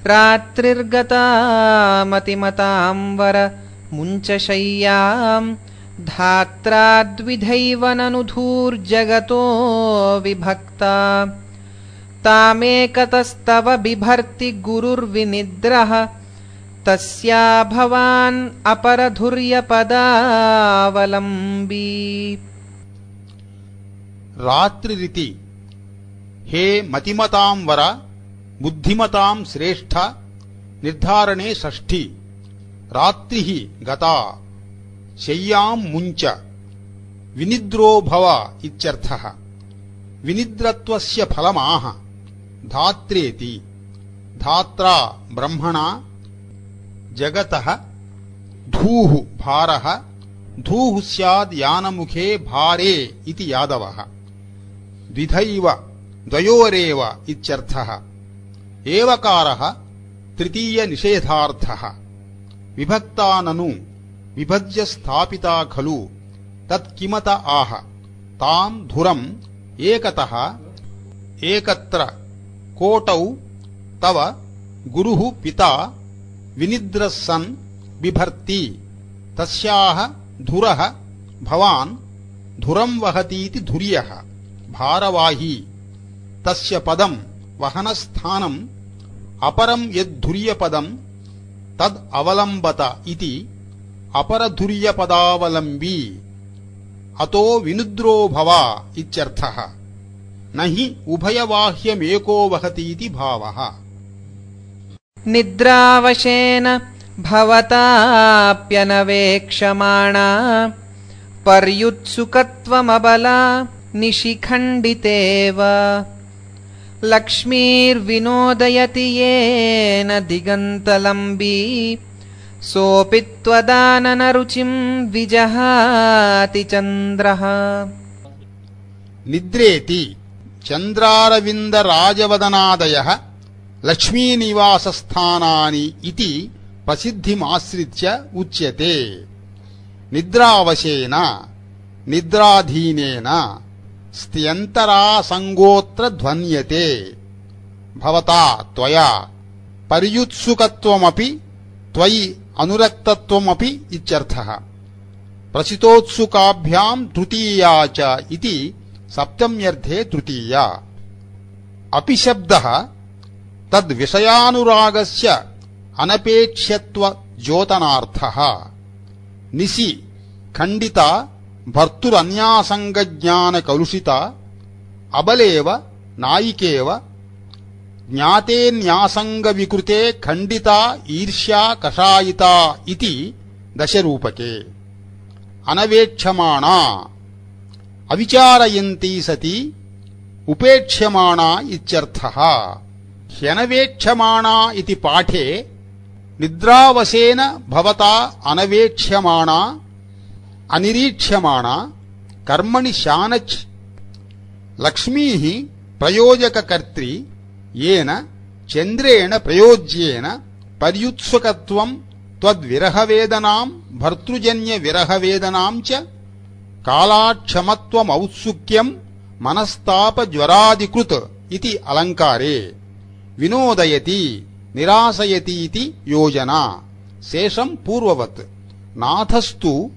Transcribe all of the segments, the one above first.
रात्रिर्गता मतिमतांवर मुञ्चशय्याम् धात्राद्विधैव ननु धूर्जगतो विभक्ता तामेकतस्तव बिभर्ति गुरुर्विनिद्रः तस्या भवान् अपरधुर्यपदावलम्बी। रात्रिरिति हे मतिमतां वर बुद्धिमतां श्रेष्ठ निर्धारणे षष्ठी। रात्रिः गता शय्यां मुञ्च विनिद्रो भव इत्यर्थः। विनिद्रत्वस्य फलमाह धात्रेति। धात्रा ब्रह्मणा जगतः धूः भारः धूः स्याद् यानमुखे भारे इति यादवः। द्विधैव द्वयोरेव इत्यर्थः। एवकारः तृतीय निषेधार्थः। विभक्ता ननु विभज्य स्थापिता खलु तत्किमत आह तां धुरम् एकतः एकत्र कोटौ तव गुरुः पिता विनिद्रः सन् बिभर्ति तस्याः धुरः भवान् धुरं वहतीति धुर्यः भारवाही तस्य पदं वहनस्थानम् अपरं यद्धुर्यपदं तद् अवलम्बत इति अपरधुर्यपदावलम्बी। अतो विनिद्रो भव इत्यर्थः। न हि उभयवाह्यमेको वहतीति भावः। निद्रावशेन भवताप्यनवेक्षमाणा पर्युत्सुकत्वमबला निशिखण्डितेव लक्ष्मीर्विनोदयति येन दिगन्तलम्बी सोऽपि त्वदाननरुचिं विजहाति चन्द्रः। निद्रेति चन्द्रारविन्दराजवदनादयः लक्ष्मीनिवासस्थानानि इति प्रसिद्धिमाश्रित्य उच्यते। निद्रावशेन निद्राधीनेन स्त्यन्तरासङ्गोऽत्र ध्वन्यते। भवता त्वया पर्युत्सुकत्वमपि त्वयि अनुरक्तत्वमपि इत्यर्थः। प्रसितोत्सुकाभ्यां तृतीया च इति सप्तम्यर्थे तृतीया। अपि शब्दः तद्विषयानुरागस्य अनपेक्ष्यत्वद्योतनार्थः। निशि खण्डिता भर्तुरन्यासङ्गज्ञानकलुषिता अबलेव नायिकेव ज्ञाते न्यासङ्गविकृते खण्डिता ईर्ष्या कषायिता इति दशरूपके। अनवेक्षमाणा अविचारयन्ती सती उपेक्ष्यमाणा इत्यर्थः। ह्यनवेक्ष्यमाणा इति पाठे निद्रावशेन भवता अनवेक्ष्यमाणा अनिरीक्ष्यमाणा कर्मणि शानच् लक्ष्मीः प्रयोजककर्त्री येन चन्द्रेण प्रयोज्येन पर्युत्सुकत्वं त्वद्विरहवेदनां भर्तृजन्यविरहवेदनां च कालाक्षमत्वमौत्सुक्यं मनस्तापज्वरादिकृत् इति अलङ्कारे। विनोदयति निरासयतीति योजना। शेषं पूर्ववत्। नाथस्तु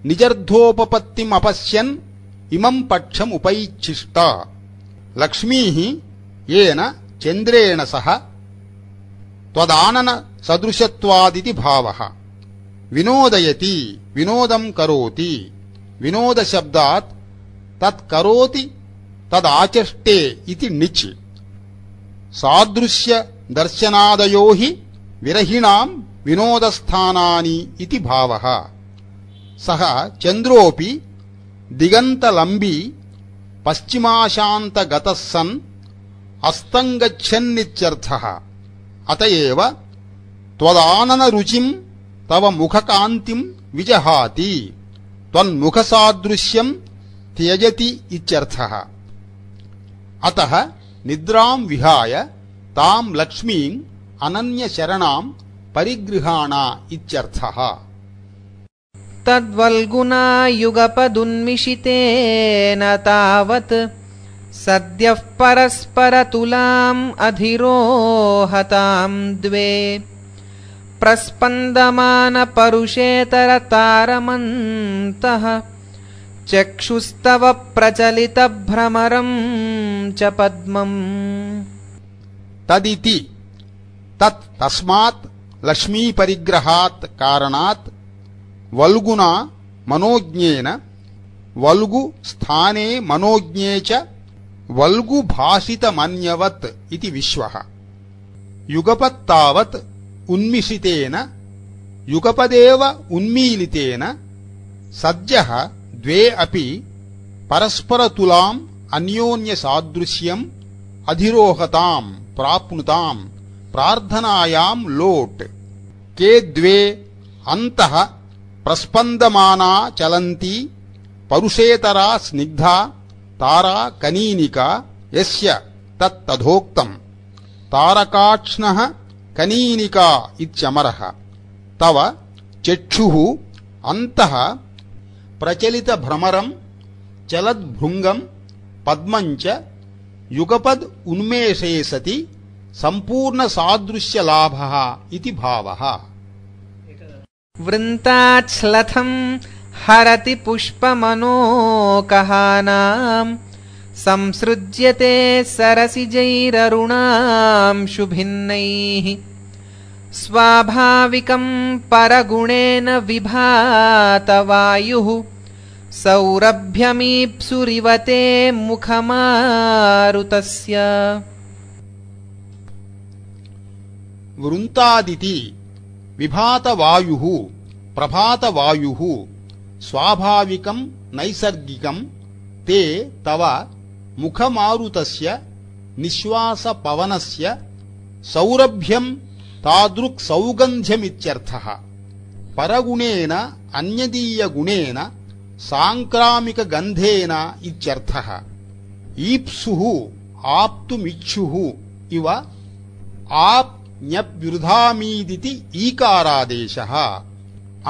निजर्धोपपत्तिमपश्यन् इमं पक्षमुपैच्छिष्ट। लक्ष्मीः येन चन्द्रेण सह त्वदानन सदृशत्वादिति भावः। विनोदयति विनोदं करोति। विनोदशब्दात् तत्करोति तदाचष्टे इति निच्। सादृश्य दर्शनादयो हि विरहिणां विनोदस्थानानि इति भावः। सः चन्द्रोऽपि दिगन्तलम्बी पश्चिमाशान्तगतः सन् अस्तङ्गच्छन्नित्यर्थः। अतएव त्वदाननरुचिं तव मुखकान्तिं विजहाति त्वन्मुखसादृश्यं त्यजति इत्यर्थः। अतः निद्रां विहाय तां लक्ष्मीम् अनन्यशरणां परिगृहाणा इत्यर्थः। तद्वल्गुना युगपदुन्मिषितेन तावत् सद्यः परस्परतुलाम् अधिरोहताम् द्वे प्रस्पन्दमानपरुषेतरतारमन्तः चक्षुस्तव प्रचलितभ्रमरम् च पद्मम् तदिति तत् तस्मात् लक्ष्मीपरिग्रहात् कारणात् वल्गुना मनोज्ञेन वल्गु स्थाने मनोज्ञे च वल्गुभाषितमन्यवत् इति विश्वः युगपत्तावत् उन्मिषितेन युगपदेव उन्मीलितेन सद्यः द्वे अपि परस्परतुलाम् अन्योन्यसादृश्यम् अधिरोहताम् प्राप्नुताम् प्रार्थनायाम् लोट् के द्वे अन्तः प्रस्पन्दमाना चलन्ती परुषेतरा स्निग्धा तारा कनीनिका यस्य तत्तथोक्तम् तारकाक्ष्णः कनीनिका इत्यमरः तव चक्षुः अन्तः प्रचलितभ्रमरम् चलद्भृङ्गम् पद्मम् च युगपद् उन्मेषे सति सम्पूर्णसादृश्यलाभः इति भावः वृन्ताच्छ्लथम् हरति पुष्पमनोकहानाम् संसृज्यते सरसिजैररुणांशुभिन्नैः स्वाभाविकम् परगुणेन विभातवायुः सौरभ्यमीप्सुरिवते मुखमारुतस्य वृन्तादिति विभातवायुः प्रभातवायुः स्वाभाविकम् नैसर्गिकम् ते तव मुखमारुतस्य निश्वासपवनस्य सौरभ्यम् तादृक् सौगन्ध्यमित्यर्थः परगुणेन अन्यदीयगुणेन साङ्क्रामिकगन्धेन इत्यर्थः ईप्सुः आप्तुमिच्छुः इव आप्ञप्युर्धामीदिति ईकारादेशः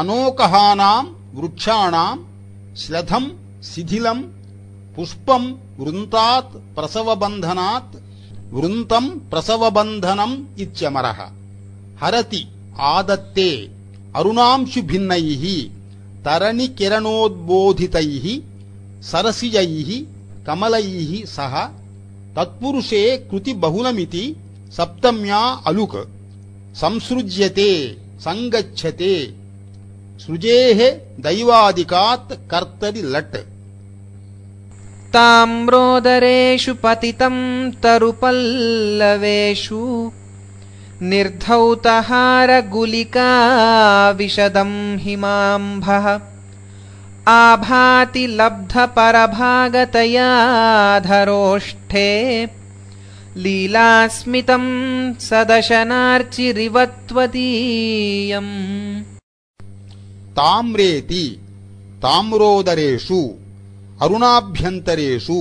अनोकहानाम् वृक्षाणाम् श्लथम् शिथिलम् पुष्पम् वृन्तात् प्रसवबन्धनात् वृन्तम् प्रसवबन्धनम् इत्यमरः हरति आदत्ते अरुणांशुभिन्नैः तरणिकिरणोद्बोधितैः सरसिजैः कमलैः सह तत्पुरुषे कृतिबहुलमिति सप्तम्या अलुक् संसृज्यते संगच्छते सृजेः दैवादिकात् कर्तरि लट् ताम्रोदरेषु पतितम् तरुपल्लवेषु निर्धौतहारगुलिका विशदम् हिमाम्भः आभाति लब्धपरभागतया धरोष्ठे लीलास्मितम् सदशनार्चिरिवत्वदीयम् ताम्रेति ताम्रोदरेषु अरुणाभ्यन्तरेषु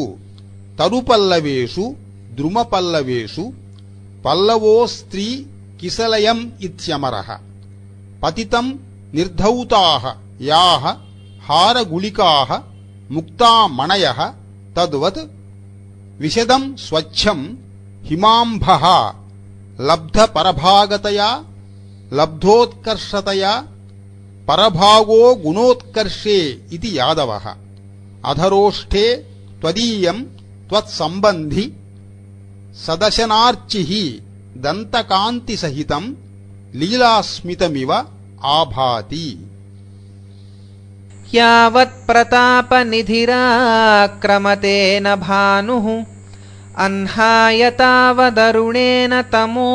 तरुपल्लवेषु द्रुमपल्लवेषु पल्लवोस्त्री किसलयम् इत्यमरः पतितम् निर्धौताः याः हारगुलिकाः मुक्तामणयः तद्वत् विशदम् स्वच्छम् हिमाम्भः लब्धपरभागतया लब्धोत्कर्षतया परभागो गुणोत्कर्षे इति यादवः अधरोष्ठे त्वदीयम् त्वत्सम्बन्धि सदशनार्चिः दन्तकान्तिसहितम् लीलास्मितमिव आभाति यावत्प्रतापनिधिराक्रमतेन भानुः अह्नाय तावदरुणेन तमो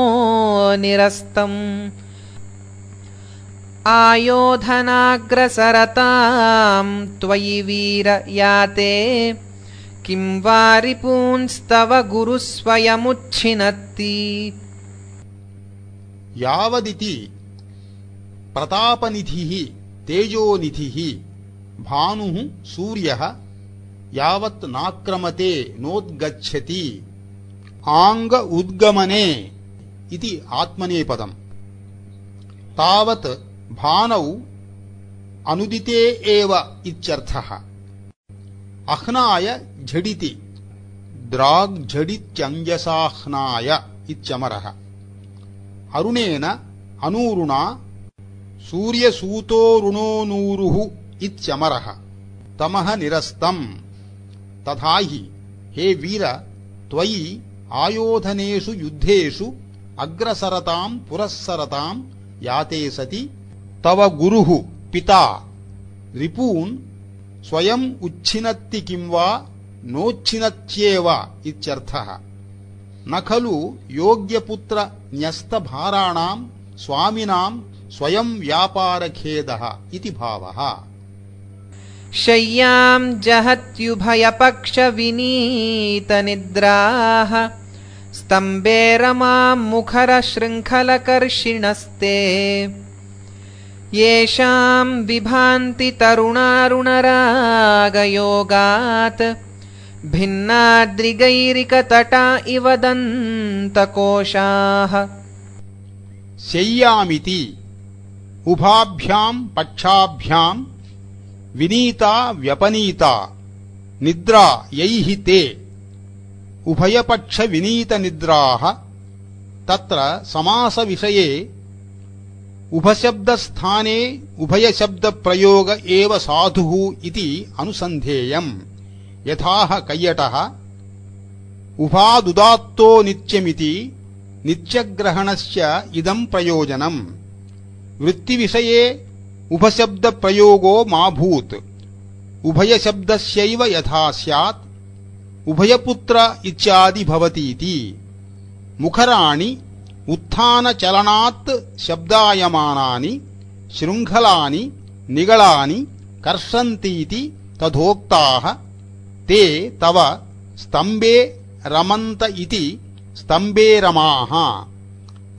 निरस्तम् आयोधनाग्रसरताम् त्वयि वीर याते किं वा रिपूंस्तव गुरुस्वयमुच्छिनत्ति यावदिति प्रतापनिधिः तेजोनिधिः भानुः सूर्यः यावत् नाक्रमते नोद्गच्छति आंग उद्गमने इति आत्मनेपदम् तावत् भानौ अनुदिते एव इत्यर्थः अह्नाय झटिति द्राग्झडित्यञ्जसाह्नाय इत्यमरः। अरुणेन अनूरुणा सूर्यसूतोरुणोनूरुः इत्यमरः। तमः निरस्तम्। तथा हि हे वीर त्वयि आयोधनेषु युद्धेषु अग्रसरताम् पुरस्सरताम् याते सति तव गुरुः पिता रिपून् स्वयम् उच्छिनत्ति किं वा नोच्छिनत्येव इत्यर्थः। न खलु योग्यपुत्र न्यस्तभाराणाम् स्वामिनाम् स्वयं व्यापारखेदः इति भावः। शय्याम् जहत्युभयपक्षविनीतनिद्राः स्तम्भे रमाम् मुखरशृङ्खलकर्षिणस्ते येषाम् विभान्ति तरुणारुणरागयोगात् भिन्नाद्रिगैरिकतटा इव दन्तकोशाः। शय्यामिति उभाभ्याम् पक्षाभ्याम् विनीता व्यपनीता निद्रा यैः ते उभयपक्षविनीतनिद्राः। तत्र समासविषये उभशब्दस्थाने उभयशब्दप्रयोग एव साधुः इति अनुसन्धेयम्। यथाह कैयटः उभादुदात्तो नित्यमिति नित्यग्रहणस्य इदम् प्रयोजनम्। वृत्तिविषये उभशब्दप्रयोगो मा भूत्। उभयशब्दस्यैव यथा स्यात् उभयपुत्र इत्यादि भवतीति। मुखराणि उत्थानचलनात् शब्दायमानानि शृङ्खलानि निगलानि कर्षन्तीति तथोक्ताः। ते तव स्तम्भे रमन्त इति स्तम्भे रमाः।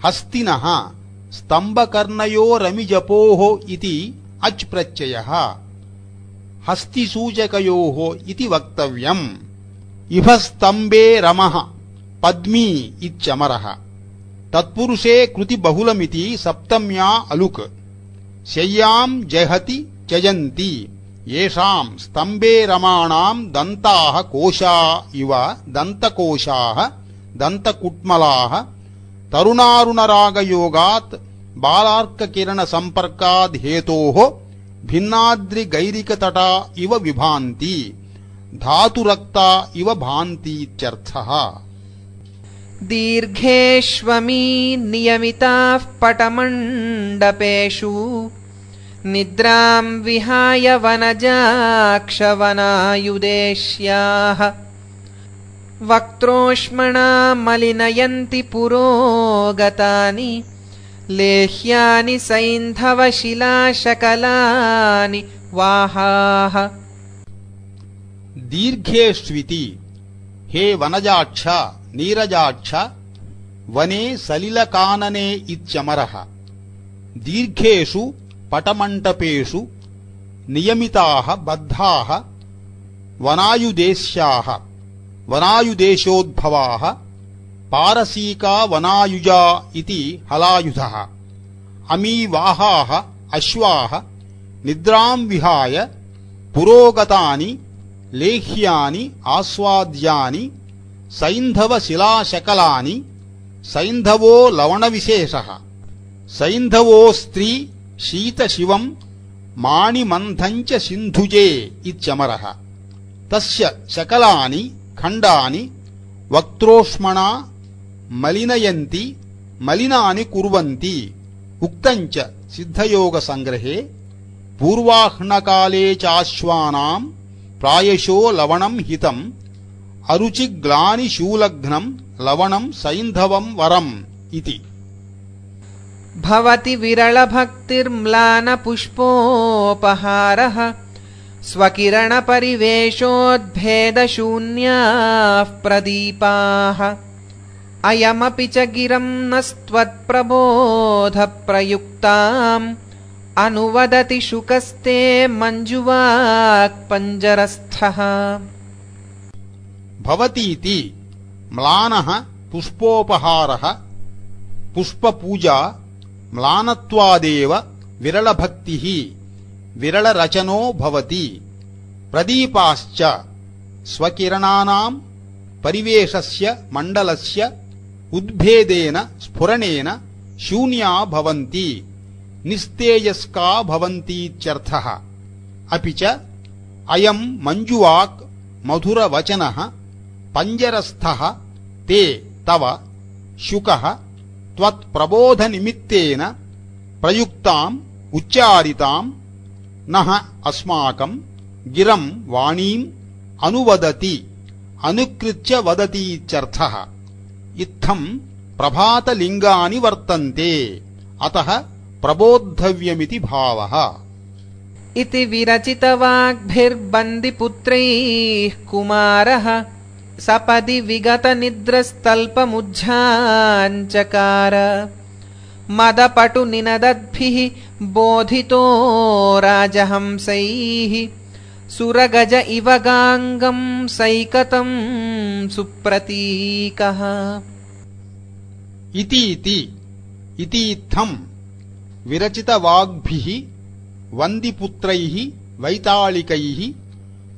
हस्तिनः स्तम्भकर्णयोरमिजपोः इति अच् प्रत्ययः हस्तिसूचकयोः इति वक्तव्यम्। इह स्तम्भे रमः पद्मी इत्यमरः। तत्पुरुषे कृति बहुलमिति सप्तम्या अलुक्। शय्याम् जहति त्यजन्ति येषाम् स्तम्भे रमाणाम् दन्ताः कोशा इव दन्तकोशाः दन्तकुट्मलाः तरुणारुणरागयोगात् बालार्ककिरणसम्पर्काद् हेतोः भिन्नाद्रिगैरिकतटा इव विभान्ति धातुरक्ता इव भान्तीत्यर्थः। दीर्घेष्वमी नियमिताः पटमण्डपेषु निद्राम् विहाय वनजाक्षवनायुदेश्याः वक्त्रोष्मणा मलिनयन्ति पुरोगतानि लेह्यानि सैन्धवशिलाशकलानि वाहाः। दीर्घेष्विति हे वनजाक्ष नीरजाक्ष वने सलिलकानने इत्यमरः। दीर्घेषु पटमण्डपेषु नियमिताः बद्धाः वनायुदेश्याः वनायुदेशोद्भवाः पारसीका वनायुजा इति हलायुधः। अमीवाहाः अश्वाः निद्राम् विहाय पुरोगतानि लेह्यानि आस्वाद्यानि सैन्धवशिलाशकलानि। सैन्धवो लवणविशेषः। सैन्धवो स्त्री शीतशिवम् माणिमन्थम् च सिन्धुजे इत्यमरः। तस्य शकलानि खण्डानि वक्त्रोष्मणा मलिनयन्ति मलिनानि कुर्वन्ति। उक्तम् च सिद्धयोगसङ्ग्रहे पूर्वाह्नकाले चाश्वानाम् प्रायशो लवणम् हितम् अरुचिग्लानिशूलघ्नम् लवणम् सैन्धवम् वरम् इति। भवति विरलभक्तिर्म्लानपुष्पोपहारः स्वकिरणपरिवेशोद्भेदशून्याः प्रदीपाः। अयमपि च गिरम् नस्त्वत्प्रबोधप्रयुक्ताम् अनुवदति शुकस्ते मञ्जुवाक्पञ्जरस्थः। भवतीति म्लानः पुष्पोपहारः पुष्पपूजा म्लानत्वादेव विरलभक्तिः विरलरचनो भवति। प्रदीपाश्च स्वकिरणानाम् परिवेशस्य मण्डलस्य उद्भेदेन स्फुरणेन शून्या भवन्ति निस्तेजस्का भवन्तीत्यर्थः। अपि च अयं मञ्जुवाक् मधुरवचनः पञ्जरस्थः ते तव शुकः त्वत्प्रबोधनिमित्तेन प्रयुक्ताम् उच्चारिताम् नः अस्माकं गिरं वाणीम् अनुवदति अनुकृत्य वदतीत्यर्थः। इत्थं प्रभातलिङ्गानि वर्तन्ते अतः प्रबोद्धव्यमिति भावः। इति विरचितवाग्भिर्बन्दिपुत्रैः कुमारः सपदि विगतनिद्रस्तल्पमुज्झाञ्चकार मदपटुनिनदद्भिः बोधितो राजहंसैः सुरगज इव गाङ्गं सैकतं सुप्रतीकः। इतीत्थं विरचितवाग्भिः वन्दिपुत्रैः वैताళिकैः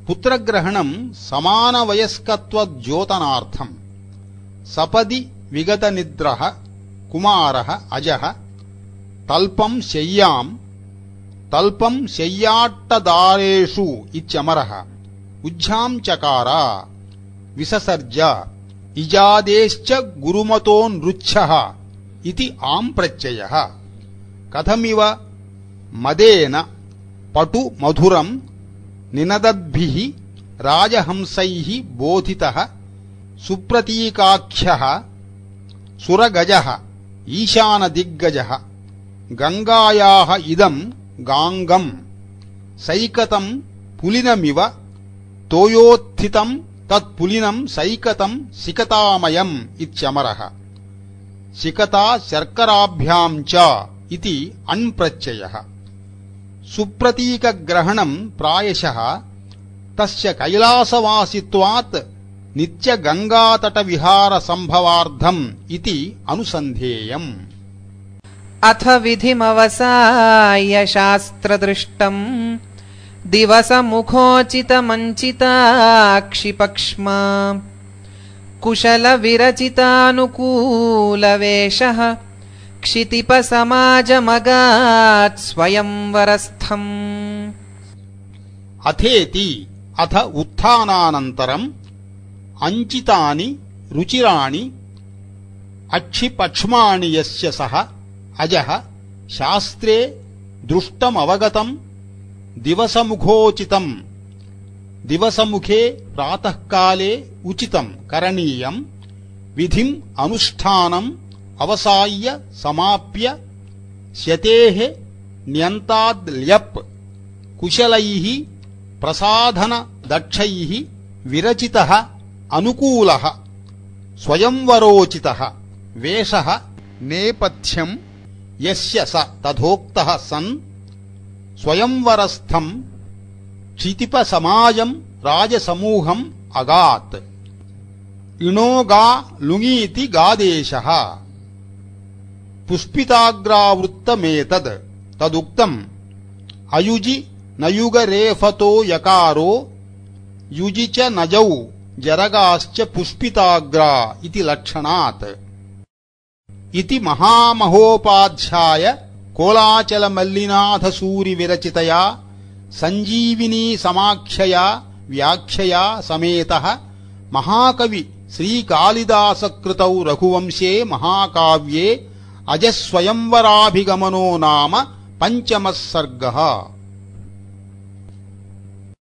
पुत्रग्रहणं समानवयस्कत्वद्योतनार्थम् सपदि विगतनिद्रः कुमारः अजः तल्पं शय्याट्टदारेषु इत्यमरः उज्झांचकार विससर्ज इजादेश्च गुरुमतोऽनृच्छः इति आम्प्रत्ययः। कथमिव मदेन पटु मधुरं निनदद्भिः राजहंसैः बोधितः सुप्रतीकाख्यः सुरगजः ईशानदिग्गजः गङ्गायाः इदं गाङ्गं सैकतं पुलिनमिव तोयोत्थितं तत्पुलिनं सैकतं सिकतामयम् इत्यमरः। सिकता शर्कराभ्यां च इति अण्प्रत्ययः। सुप्रतीकग्रहणं प्रायशः तस्य कैलासवासित्वात् नित्यगङ्गातटविहारसम्भवार्थम् इति अनुसन्धेयम्। अथ विधिमवसाय शास्त्रदृष्टम् दिवसमुखोचितमञ्चिताक्षिपक्ष्मा कुशलविरचितानुकूलवेषः क्षितिपसमाजमगात् स्वयंवरस्थम्। अथेति अथ उत्थानानन्तरम् अञ्चितानि रुचिराणि अक्षिपक्ष्माणि यस्य सः अजः शास्त्रे दृष्टमवगतम् दिवसमुखोचितम् दिवसमुखे प्रातःकाले उचितं करणीयं विधिम् अनुष्ठानम् अवसाय्य समाप्य शतेः न्यन्ताद् कुशलैः प्रसाधनदक्षैः विरचितः अनुकूलः स्वयंवरोचितः वेषः नेपथ्यं यस्य स तथोक्तः सन् स्वयंवरस्थं क्षितिपसमाजं राजसमूहम् अगात्। इणोगा लुङीति गादेशः पुष्पिताग्रावृत्तमेतद् तदुक्तम् अयुजि नयुगरेफतो यकारो युजि च नजौ जरगाश्च पुष्पिताग्रा इति लक्षणात्। इति महामहोपाध्याय कोलाचलमल्लिनाथसूरिविरचितया सञ्जीविनी समाख्यया व्याख्यया समेतः महाकवि श्रीकालिदासकृतौ रघुवंशे महाकाव्ये अजस्वयंवराभिगमनो नाम 5मः सर्गः।